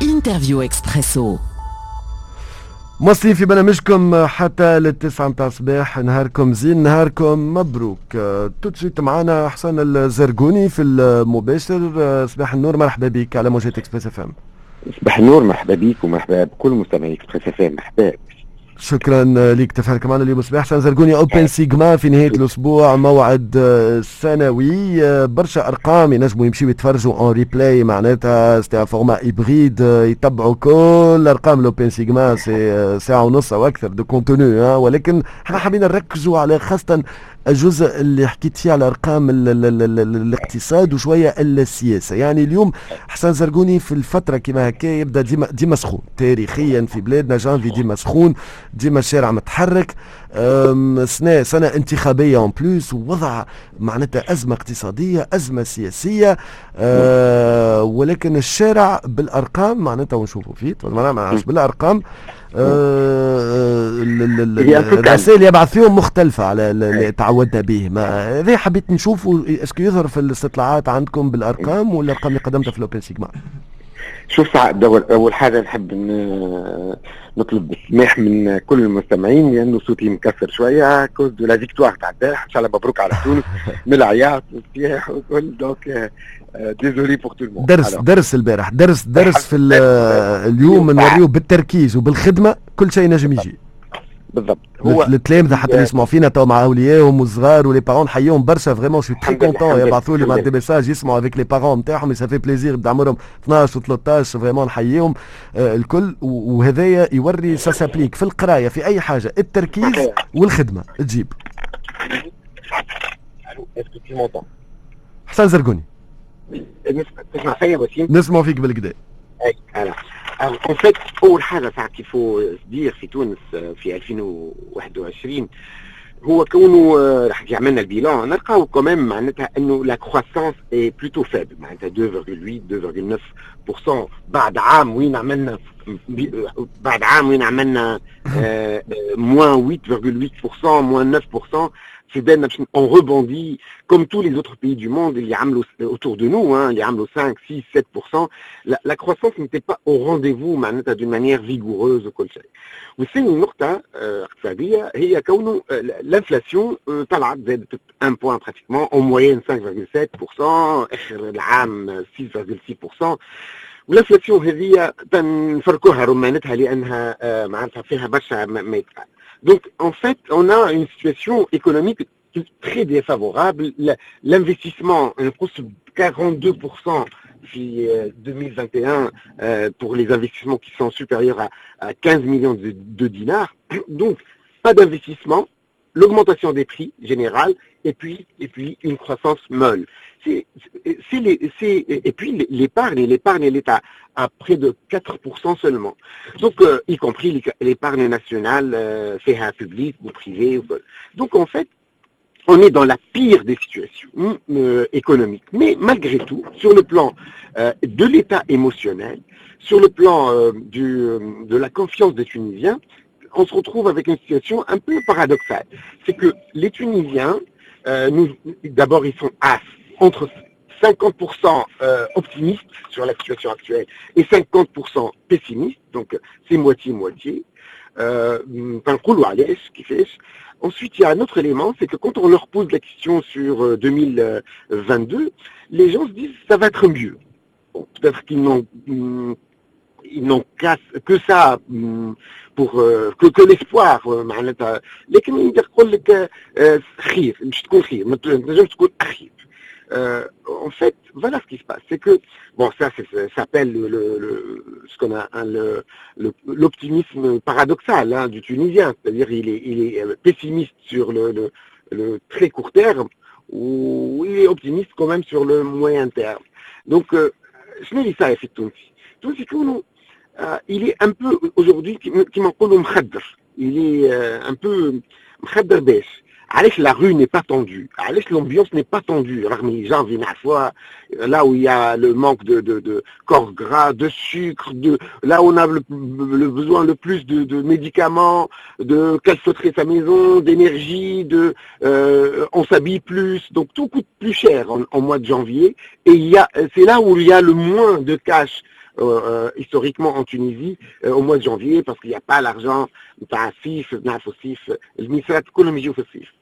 Interview Expresso. مواصلين في برنامجكم حتى لل9 متاع الصباح. نهاركم زين، نهاركم مبروك. tout de suite معنا حسن الزرقوني في المباشر. صباح النور، مرحبا بك على موجات Express FM. صباح النور، مرحبا بك ومرحبا بكل مستمعي Express FM. مرحبا. شكرا لك تفاعلك معنا اليوم صباح. حسن زرقوني، Open Sigma في نهاية الاسبوع، موعد سنوي، برشا ارقام ينجموا يمشيو يتفرجوا en replay، معناتها c'est format hybride، يتبعوا كل ارقام l'Open Sigma، c'est ساعة ونص او اكثر de contenu، ولكن احنا حابين نركزوا على خاصة الجزء اللي حكيت فيه على ارقام الاقتصاد وشوية السياسه. يعني اليوم حسن زرقوني، في الفترة كما هكا يبدا ديما ديما سخون، تاريخيا في بلادنا جانفي ديما سخون، ديما الشارع متحرك، سنة سنة انتخابية en plus، ووضع معناتها ازمة اقتصاديه، ازمة سياسيه، ولكن الشارع بالارقام معناتها ونشوفوا فيه ما بالارقام الرسائل يبعث فيهم مختلفة على اللي تعودنا به. ما هذا حبيت نشوفه، est-ce que يظهر في الاستطلاعات عندكم بالارقام ولا الارقام اللي قدمتها في l'Open Sigma؟ شوف سعد، اول حاجة نحب نطلب السماح من كل المستمعين لانه صوتي مكسر شوية à cause de la victoire تاع البارح. ان شاء الله مبروك على تونس، من العياط والصياح والكل، donc désolé pour tout le monde. درس درس البارح، درس درس في اليوم نوريو بالتركيز وبالخدمه كل شيء نجم يجي. بالضبط. هو التلامذه حتى اللي يسمعوا فينا تو مع اوليائهم والصغار و les parents، نحييهم برشا، vraiment je suis très content، يبعثوا لي مع des messages، يسمعوا avec les parents نتاعهم، ça fait plaisir، يبدا عمرهم 12 و 13، vraiment نحييهم الكل. وهذايا يوري ça s'applique في القرايه، في اي حاجه، التركيز والخدمة تجيب. حسن زرقوني. تسمع فيا وسيم؟ نسمع فيك بالقدا. اي، en fait اول حاجة ساعة qu'il faut dire في تونس في 2021 هو كونه راح عملنا ال bilan، نلقاو quand même معناتها انه la croissance est plutôt faible، معناتها 2,8 2,9% بعد عام وين عملنا moins 8,8%، moins 9%. في بالنا باش on rebondit comme tous les autres pays du monde اللي عملوا autour de nous، hein، اللي عملوا 5 6 7%. La croissance n'était pas au rendez-vous معناتها d'une manière vigoureuse وكل شيء. والثاني نقطة اقتصادية هي كونه l'inflation طلعت، زادت 1 point pratiquement، en moyenne 5,7%، اخر العام 6,6%. وال inflation هذه نفركوها رمانتها لانها معناتها فيها برشا ما يتقال. Donc, en fait, on a une situation économique très défavorable. L'investissement نقص 42% في 2021 pour les investissements qui sont supérieurs à 15 millions de dinars. Donc, pas d'investissement, l'augmentation des prix générale et puis une croissance molle. Et puis l'épargne, elle est à près de 4% seulement. Donc, y compris l'épargne nationale, فيها publique ou privée. Donc, en fait, on est dans la pire des situations économiques. Mais malgré tout, sur le plan de l'état émotionnel, sur le plan de la confiance des Tunisiens, on se retrouve avec une situation un peu paradoxale. C'est que les Tunisiens, d'abord, ils sont entre 50% optimistes sur la situation actuelle et 50% pessimistes, donc c'est moitié-moitié. Ensuite, il y a un autre élément, c'est que quand on leur pose la question sur 2022, les gens se disent ça va être mieux. Bon, peut-être qu'ils n'ont que ça pour que l'espoir معناتها، لكن يقول لك خير، مش تكون خير، ما تنجمش تكون اخيب. En fait, voilà ce qui se passe. C'est que, bon, ça s'appelle ce qu'on a, hein, l'optimisme paradoxal, hein, du Tunisien. C'est-à-dire, il est pessimiste sur le très court terme ou il est optimiste quand même sur le moyen terme. Donc, شنو اللي صاير في التونسي؟ التونسي كونه il est un peu aujourd'hui كيما نقولوا مخدر. Il est un peu مخدر باش علاش la rue n'est pas tendue؟ علاش l'ambiance n'est pas tendue؟ رغم اللي janvier نعرفوها là où il y a le manque de corps gras, de sucre, là où on a le besoin le plus de médicaments, de calfeutrer sa maison, d'énergie, on s'habille plus, donc tout coûte plus cher en mois de janvier, et c'est là où il y a le moins de cash historiquement en Tunisie au mois de janvier, parce qu'il n'y a pas l'argent نتاع الصيف. نعرفوا الصيف الميسات كلهم يجيو في الصيف.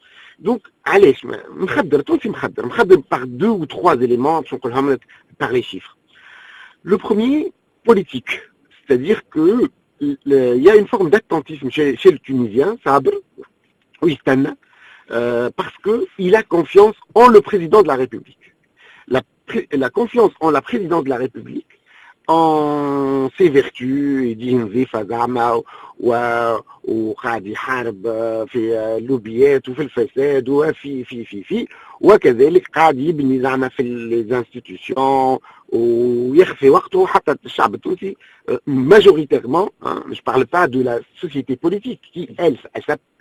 Donc علاش مخدر تونسي؟ مخدر مخدر par deux ou trois éléments باش نقولهم لك par les chiffres. Le premier, politique, c'est-à-dire que il y a une forme d'attentisme chez le Tunisien, صابر ويستنى parce que il a confiance en le président de la République. La confiance en la présidence de la République, en ses vertus, يديه نظيفة زعما وقاعد يحارب في اللوبيات وفي الفساد وفي في في في وكذلك قاعد يبني زعما في les institutions ويخفي وقته. حتى الشعب التونسي majoritairement, hein, je parle pas de la société politique qui, elle,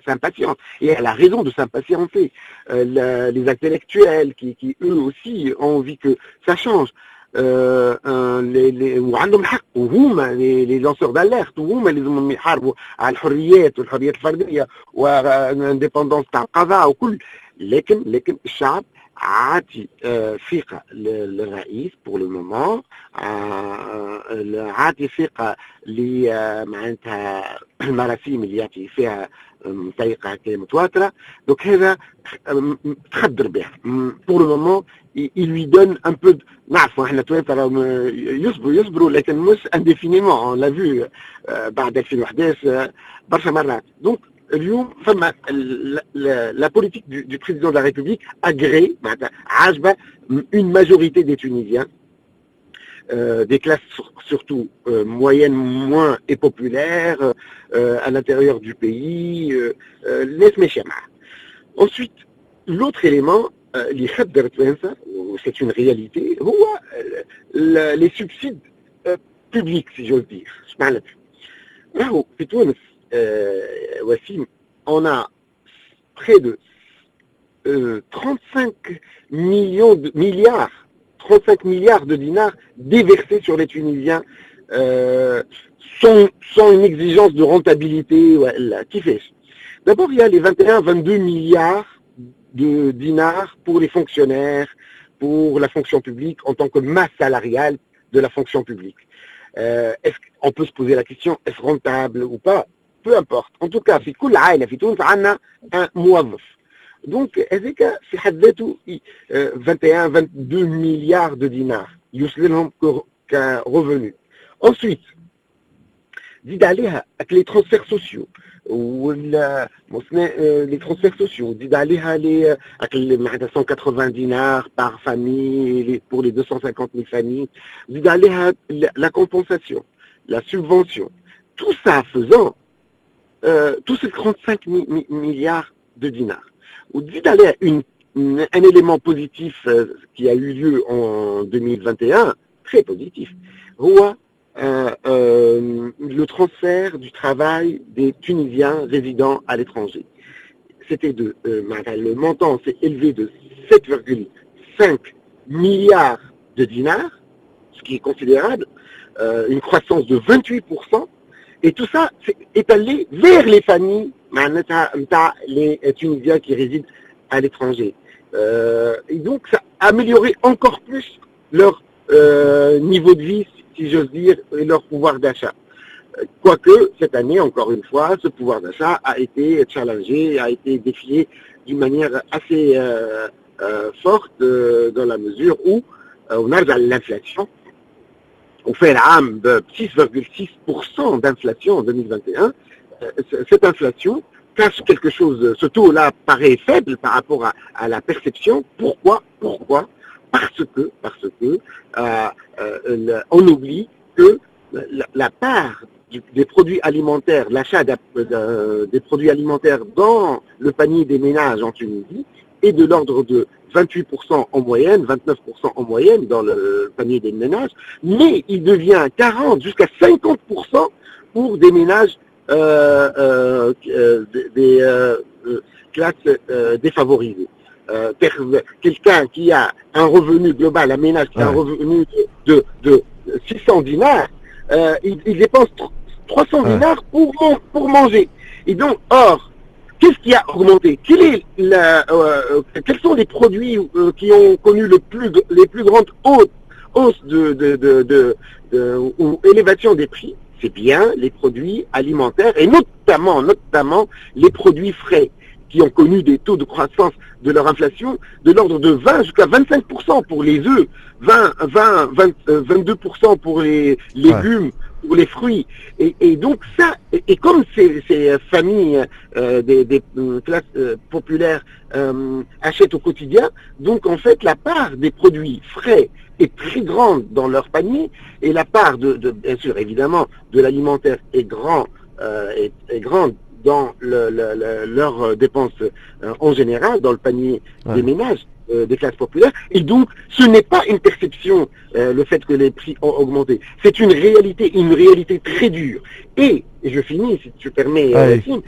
s'impatiente et elle a raison de s'impatienter, les intellectuels qui eux aussi ont envie que ça change, وعندهم الحق وهما les lanceurs d'alerte وهما اللي لازمهم يحاربوا على الحريات والحريات الفرديه وال indépendance تاع القضاء وكل، لكن الشعب عاطي ثقة للرئيس pour le moment، عاطي ثقة معناتها المراسيم اللي يعطي فيها بطريقة هكا متواترة. Donc هذا تخدر به pour le moment, il lui donne un peu. نعرفوا احنا توانسه يصبروا يصبروا لكن مش indéfiniment, on l'a vu بعد 2011 برشا مرات. Donc اليوم فما la politique du président de la République agréée معناتها عاجبه une majorité des Tunisiens, des classes surtout moyennes moins et populaires à l'intérieur du pays, الناس ماشيه معاه. Ensuite, l'autre élément اللي خدر التوانسه, c'est une réalité, هو les subsides publics, si j'ose dire. اش معناتها؟ راهو في تونس وسيم on a près de 35 millions de milliards, 35 milliards de dinars déversés sur les Tunisiens sans une exigence de rentabilité. Ouais, كيفاش؟ D'abord, il y a les 21, 22 milliards de dinars pour les fonctionnaires, pour la fonction publique en tant que masse salariale de la fonction publique. Est-ce qu'on peut se poser la question, est-ce rentable ou pas؟ Peu importe. En tout cas, في كل عائلة في تونس عندنا un موظف. Donc هذاك في حد ذاته 21 22 milliards de dinars يوصل لهم ك revenu. Ensuite, زيد عليها les transferts sociaux ولا les transferts sociaux، زيد عليها les معناتها 180 dinars par famille pour les 250 000 familles، زيد عليها la compensation, la subvention, tout ça faisant tous ces 35 milliards de dinars. وتزيد عليها un élément positif qui a eu lieu en 2021, très positif, هو le transfert du travail des Tunisiens résidant à l'étranger. C'était de, le montant s'est élevé de 7,5 milliards de dinars, ce qui est considérable, une croissance de 28%, et tout ça est allé vers les familles معناتها نتاع les Tunisiens qui résident à l'étranger. Et donc ça a amélioré encore plus leur niveau de vie, si j'ose dire, et leur pouvoir d'achat. Quoique, cette année, encore une fois, ce pouvoir d'achat a été challengé, a été défié d'une manière assez forte, dans la mesure où on arrive à l'inflation. وفى العام ب 6,6% d'inflation en 2021. Cette inflation cache quelque chose. Ce taux-là paraît faible par rapport à la perception. Pourquoi؟ Pourquoi؟ Parce que on oublie que la part des produits alimentaires, l'achat des produits alimentaires dans le panier des ménages en Tunisie est de l'ordre de 28% en moyenne, 29% en moyenne dans le panier des ménages, mais il devient 40 jusqu'à 50% pour des ménages des classes défavorisées. Quelqu'un qui a un revenu global, un ménage qui a un revenu de 600 dinars, il dépense 300 dinars pour manger. Et donc, or, qu'est-ce qui a augmenté? Quels sont les produits qui ont connu les plus grandes hausses ou élévation des prix? C'est bien les produits alimentaires et notamment les produits frais qui ont connu des taux de croissance de leur inflation de l'ordre de 20 jusqu'à 25% pour les œufs, 20, 20, 20, 22% pour les légumes, pour les fruits. Et donc ça, et comme ces familles des classes populaires achètent au quotidien, donc en fait la part des produits frais est très grande dans leur panier et la part bien sûr évidemment de l'alimentaire est grande dans leurs dépenses en général, dans le panier des ménages des classes populaires. Et donc, ce n'est pas une perception, le fait que les prix ont augmenté. C'est une réalité très dure. Et je finis, si tu permets, Yacine,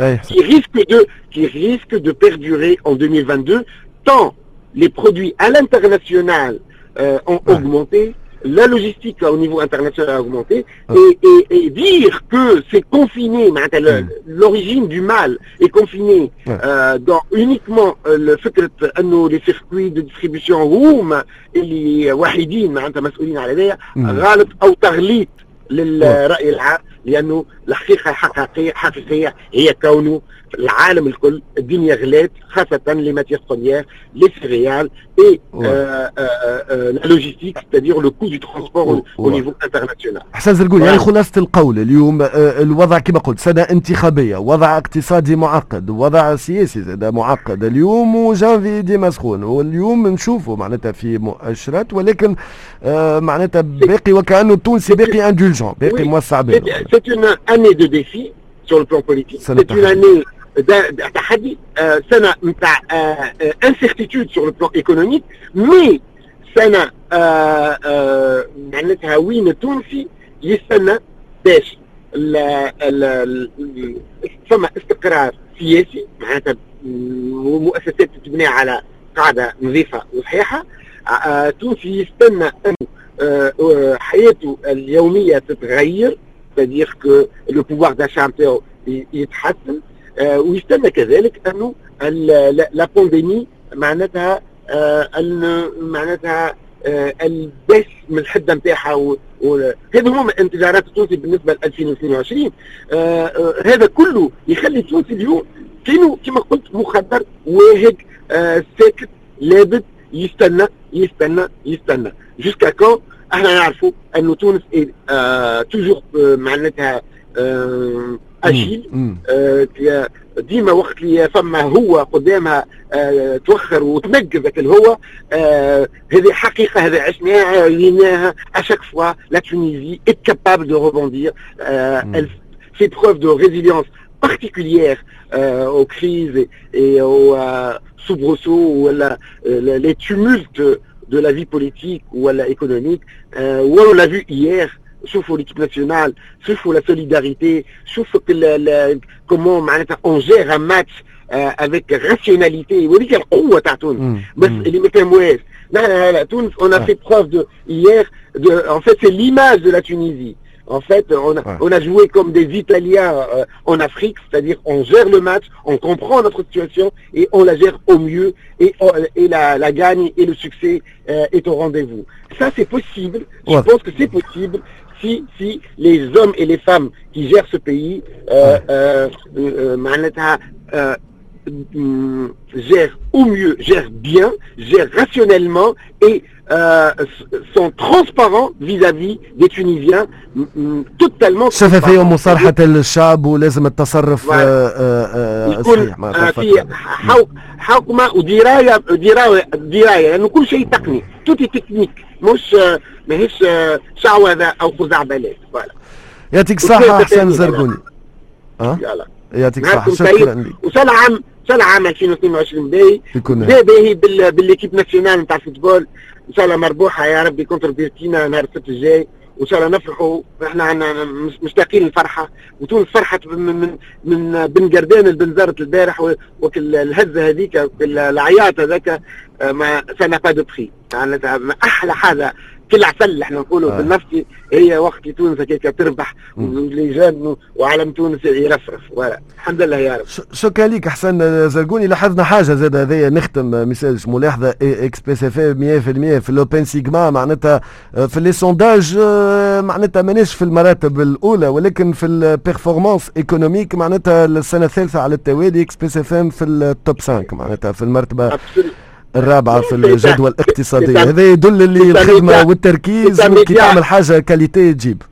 qui risque de perdurer en 2022, tant les produits à l'international ont augmenté, la logistique au niveau international a augmenté, et dire que c'est confiné, l'origine du mal est confinée dans uniquement le فكرة أنه les circuits de distribution هما اللي وحيدين معناتها مسؤولين على ذلك، غلط أو تغليط للرأي العام، لأنه الحقيقة حقيقية هي كونه العالم الكل الدنيا غلات، خاصة les matières premières, les céréales et la logistique, c'est-à-dire le coût du transport au niveau international. حسن زرقوني، يعني خلاصة القول اليوم الوضع كما قلت سنة انتخابية، وضع اقتصادي معقد، وضع سياسي زاد معقد اليوم، وجانفي ديما سخون، واليوم نشوفوا معناتها في مؤشرات، ولكن معناتها باقي وكأنه التونسي باقي indulgent، باقي موسع باله. C'est une année de défi sur le plan politique. C'est une année تحدي، سنة نتاع incertitude sur le plan économique, mais سنة معناتها وين التونسي يستنى باش فما استقرار سياسي، معناتها مؤسسات تتبنى على قاعدة نظيفة وصحيحة. التونسي يستنى أن حياته اليومية تتغير، c'est-à-dire que le pouvoir d'achat نتاعو يتحسن، ويستنى كذلك انه la pandémie معناتها معناتها البس من الحدة نتاعها. هذا هما انتظارات التونسي بالنسبة ل 2022. هذا كله يخلي التونسي اليوم كانوا كما قلت مخدر واهق ساكت لابد يستنى يستنى يستنى jusqu'à quand؟ احنا نعرفوا انه تونس toujours معناتها agile، ديما وقت اللي فما هو قدامها توخر وتنقز الهو. هذه حقيقه، هذه عشناها ريناها. À chaque fois la Tunisie est capable de rebondir, elle fait preuve de résilience particulière aux crises et aux soubresauts ou les tumultes de la vie politique ou économique. On l'a vu hier, شوفوا l'équipe nationale، شوفوا la solidarité، شوفوا comment معناتها on gère un match avec rationalité. وهذيك القوة تاع تونس، بس اللي ما فهموهاش نحن تونس on a fait preuve de hier de en fait c'est l'image de la Tunisie. En fait, on a joué comme des Italiens en Afrique, c'est-à-dire on gère le match, on comprend notre situation et on la gère au mieux et la gagne et le succès est au rendez-vous. Ça, c'est possible. Je pense que c'est possible si les hommes et les femmes qui gèrent ce pays معناتها gèrent au mieux, gèrent bien, gèrent rationnellement et sont transparents vis-à-vis des Tunisiens, totalement. شفافية ومصارحة الشعب، ولازم التصرف يكون في حوكمة ودراية دراية دراية، لأنه كل شيء تقني، tout est technique، مش ماهيش شعوذة أو خزعبلات، voilà. يعطيك الصحة حسن زرقوني. يلا. يعطيك الصحة، شكرا لك. وسنة عام سنة عام 2022 باهي باهي بال l'équipe nationale نتاع ال football، ان شاء الله مربوحه يا ربي contre بيركينا نهار السبت الجاي. وان شاء الله نفرحوا. احنا عندنا مشتاقين الفرحه، وتونس فرحت من بن قردان البنزرت البارح، وكل الهزة هذيك، العياط هذاك ما ça n'a pas de prix. احلى حاجه، كل عسل احنا نقولوا في النفسي هي وقت تونس هكاك تربح و les jeunes وعلم تونس يرفرف. الحمد لله يا رب. شكرا لك حسن زرقوني. لاحظنا حاجة زاد هذايا، نختم message ملاحظه، Express FM 100% في l'Open Sigma، معناتها في les sondages معناتها ماناش في المراتب الاولى، ولكن في ال performance économique معناتها السنة الثالثة على التوالي Express FM في ال top 5، معناتها في المرتبة الرابعة في الجدوى الاقتصادية. هذا يدل اللي الخدمة والتركيز، كي تعمل حاجة qualité تجيب.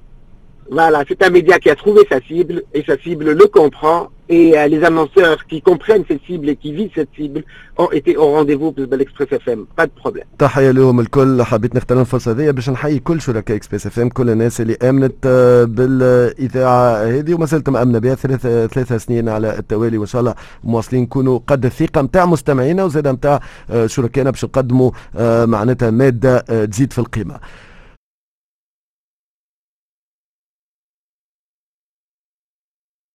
Voilà, c'est un média qui a trouvé sa cible et sa cible le comprend et les annonceurs qui comprennent cette cible et qui visent cette cible ont été au rendez-vous بالنسبة l'Express FM, pas de problème. تحية لهم الكل. حبيت نغتنم الفرصة هذه باش نحيي كل شركاء Express FM، كل الناس اللي امنت بالاذاعة هذه وما زالت مأمنة بها 3 سنين على التوالي، وان شاء الله مواصلين نكونوا قد الثقة نتاع مستمعينا وزاد نتاع شركائنا باش نقدموا معناتها مادة تزيد في القيمة.